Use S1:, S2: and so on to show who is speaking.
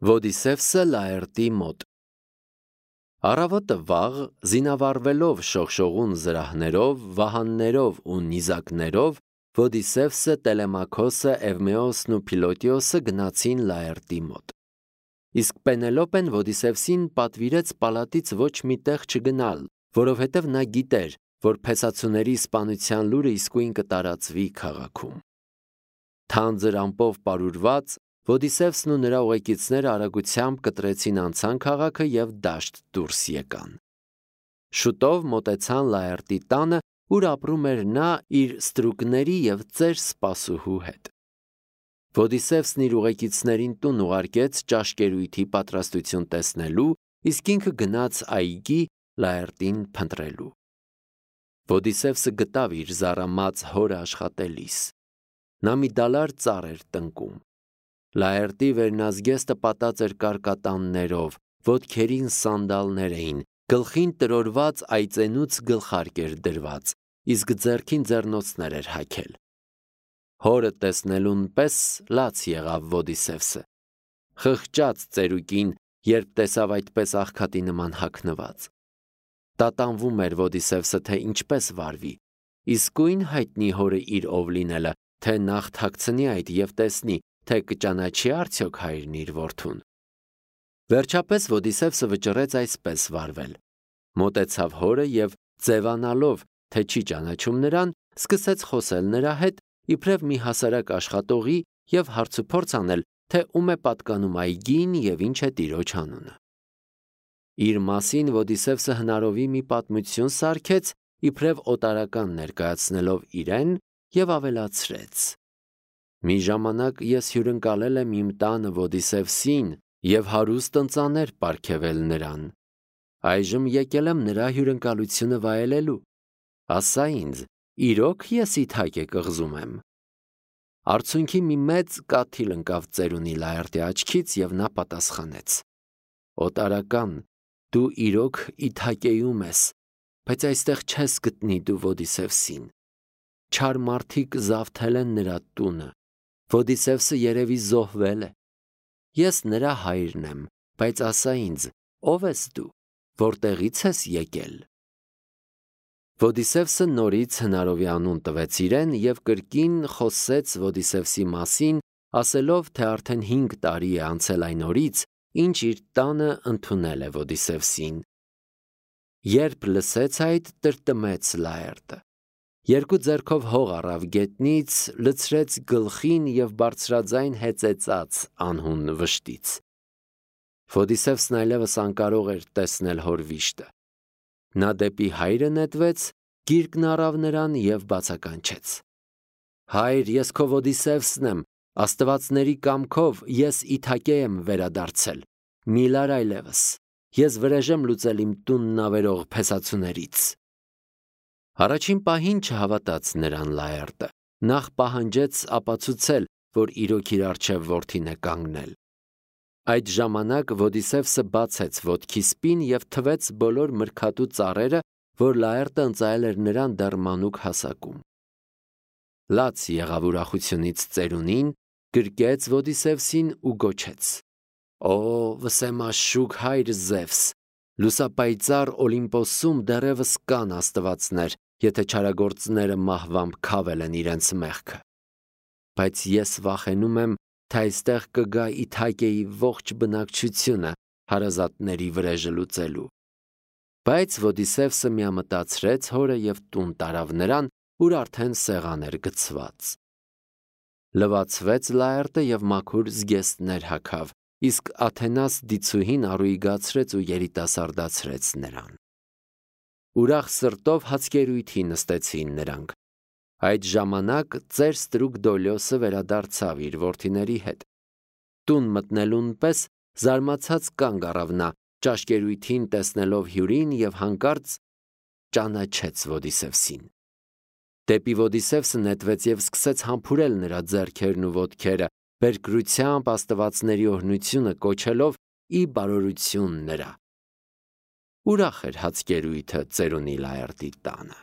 S1: Ոդիսևսը Լաերտի մոտ։ Առավոտը վաղ, զինավառվելով շողշողուն զրահներով, վահաններով ու նիզակներով, Ոդիսևսը, Տելեմաքոսը, Էվմեոսն ու Փիլոտիոսը գնացին Լաերտի մոտ։ Իսկ Պենելոպեն Ոդիսևսին պատվիրեց պալատից ոչ մի տեղ չգնալ, որովհետև նա գիտեր, որ փեսացուների սպանության լուրը իսկույն կտարածվի քաղաքում։ Թանձր ամպով պարուրված, Ոդիսևսն ու նրա ուղեկիցները արագությամբ կտրեցին անցան քաղաքը և դաշտ դուրս եկան։ Շուտով մոտեցան Լաերտի տանը, ուր ապրում էր նա իր ստրուկների և ծեր սպասուհու հետ։ Ոդիսևսն իր ուղեկիցներին տուն ուղարկեց ճաշկերույթի պատրաստություն տեսնելու, իսկ ինքը գնաց այգի Լաերտին փնտրելու։ Ոդիսևսը գտավ իր զառամած հորը աշխատելիս։ Նա մի դալար ծառ էր տնկում։ Լաերտի վերնազգեստը պատած էր կարկատաններով, ոտքերին սանդալներ էին, գլխին տրորված այծենուց գլխարկ էր դրված, իսկ ձեռքին ձեռնոցներ էր հագել։ Հորը տեսնելուն պես լաց եղավ Ոդիսևսը։ Խղճաց ծերուկին, երբ տեսավ այդպես աղքատի նման հագնված։ Տատանվում էր Ոդիսևսը, թե ինչպես վարվի, իսկույն հայտնի հորը իր ով լինելը, թե նախ թաքցնի այդ և տեսնի, թե կճանաչի արդյոք հայրն իր որդուն։ Վերջապես Ոդիսևսը վճռեց այսպես վարվել։ Մոտեցավ հորը և, ձևանալով, թե չի ճանաչում նրան, սկսեց խոսել նրա հետ, իբրև մի հասարակ աշխատողի և հարցուփորձ անել, թե ում է պատկանում այգին և ինչ է տիրոջ անունը։ Իր մասին Ոդիսևսը հնարովի մի պատմություն սարքեց, իբրև օտարական ներկայացնելով իրեն, և ավելացրեց. «Մի ժամանակ ես հյուրընկալել եմ իմ տանը Ոդիսևսին և հարուստ ընծաներ պարգևել նրան։ Այժմ եկել եմ նրա հյուրընկալությունը վայելելու։ Ասա ինձ, իրոք ես իթակ է կղզում եմ»։ Արցունքի մի մեծ կաթիլ ընկավ ծերունի Լաերտի աչքից, և նա պատասխանեց. «Օտարական, դու իրոք Իթակեում ես, բայց այստեղ չես գտնի դու Ոդիսևսին։ Չար մարդիկ զավթել են նրա տունը, Ոդիսևսը երևի զոհվել է։ Ես նրա հայրն եմ, բայց ասա ինձ, ով ես դու, որտեղից ես եկել»։ Ոդիսևսը նորից հնարովի անուն տվեց իրեն և կրկին խոսեց Ոդիսևսի մասին, ասելով, թե արդեն 5 տարի է անցել այն օրից, ինչ իր տանը ընդունել է Ոդիսևսին։ Երբ լսեց այդ, տրտմեց Լաերտը։ 2 ձեռքով հող առավ գետնից, լցրեց գլխին և բարձրաձայն հեծեծաց անհուն վշտից։ Ոդիսևսն այլևս անկարող էր տեսնել հոր վիշտը։ Նա դեպի հայրը նետվեց, գիրկն առավ նրան և բացականչեց. «Հայր, ես քո Ոդիսևսն եմ, աստվածների կամքով ես Իթակե եմ վերադարձել, մի լար այլևս, ես վրեժ եմ լուծել իմ տունն ավերող փեսացուներից»։ Առաջին պահին չհավատաց նրան Լաերտը, նախ պահանջեց ապացուցել, որ իրոք իր առջև որդին է կանգնել։ Այդ ժամանակ Ոդիսևսը բացեց ոտքի սպին և թվեց բոլոր մրգատու ծառերը, որ Լաերտը ընծայել էր նրան դեռ մանուկ հասակում։ Լաց եղավ ուրախությունից ծերունին, գրկեց Ոդիսևսին ու գոչեց. «Օ, վսեմաշուք հայր Զևս, լուսապայծառ Օլիմպոսում դեռևս կան աստվածներ, եթե չարագործները մահվամբ քավել են իրենց մեղքը։ Բայց ես վախենում եմ, թե այստեղ կգա Իթակեի ողջ բնակչությունը հարազատների վրեժը լուծելու»։ Բայց Ոդիսևսը միամտածրեց հորը և տուն տարավ նրան, ուր արդեն սեղան էր գցված։ Լվացվեց Լաերտը և մաքուր զգեստներ հագավ, իսկ Աթենաս դիցուհին առուիգացրեց ու երիտասարդացրեց նրան։ Ուրախ սրտով հացկերույթի նստեցին նրանք։ Այդ ժամանակ ծեր ստրուկ Դոլիոսը վերադարձավ իր որդիների հետ։ Տուն մտնելուն պես զարմացած կանգ առավ նա, ճաշկերույթին տեսնելով հյուրին և հանկարծ ճանաչեց Ոդիսևսին։ Դեպի Ոդիսևսը նետվեց և սկսեց համբուրել նրա ձեռքերն ու ոտքերը, բերկրությամբ աստվածների օրհնությունը կոչելով ի բարօրություն նրա։ Ուրախ էր հացկերույթը ծերունի Լաերտի տանը։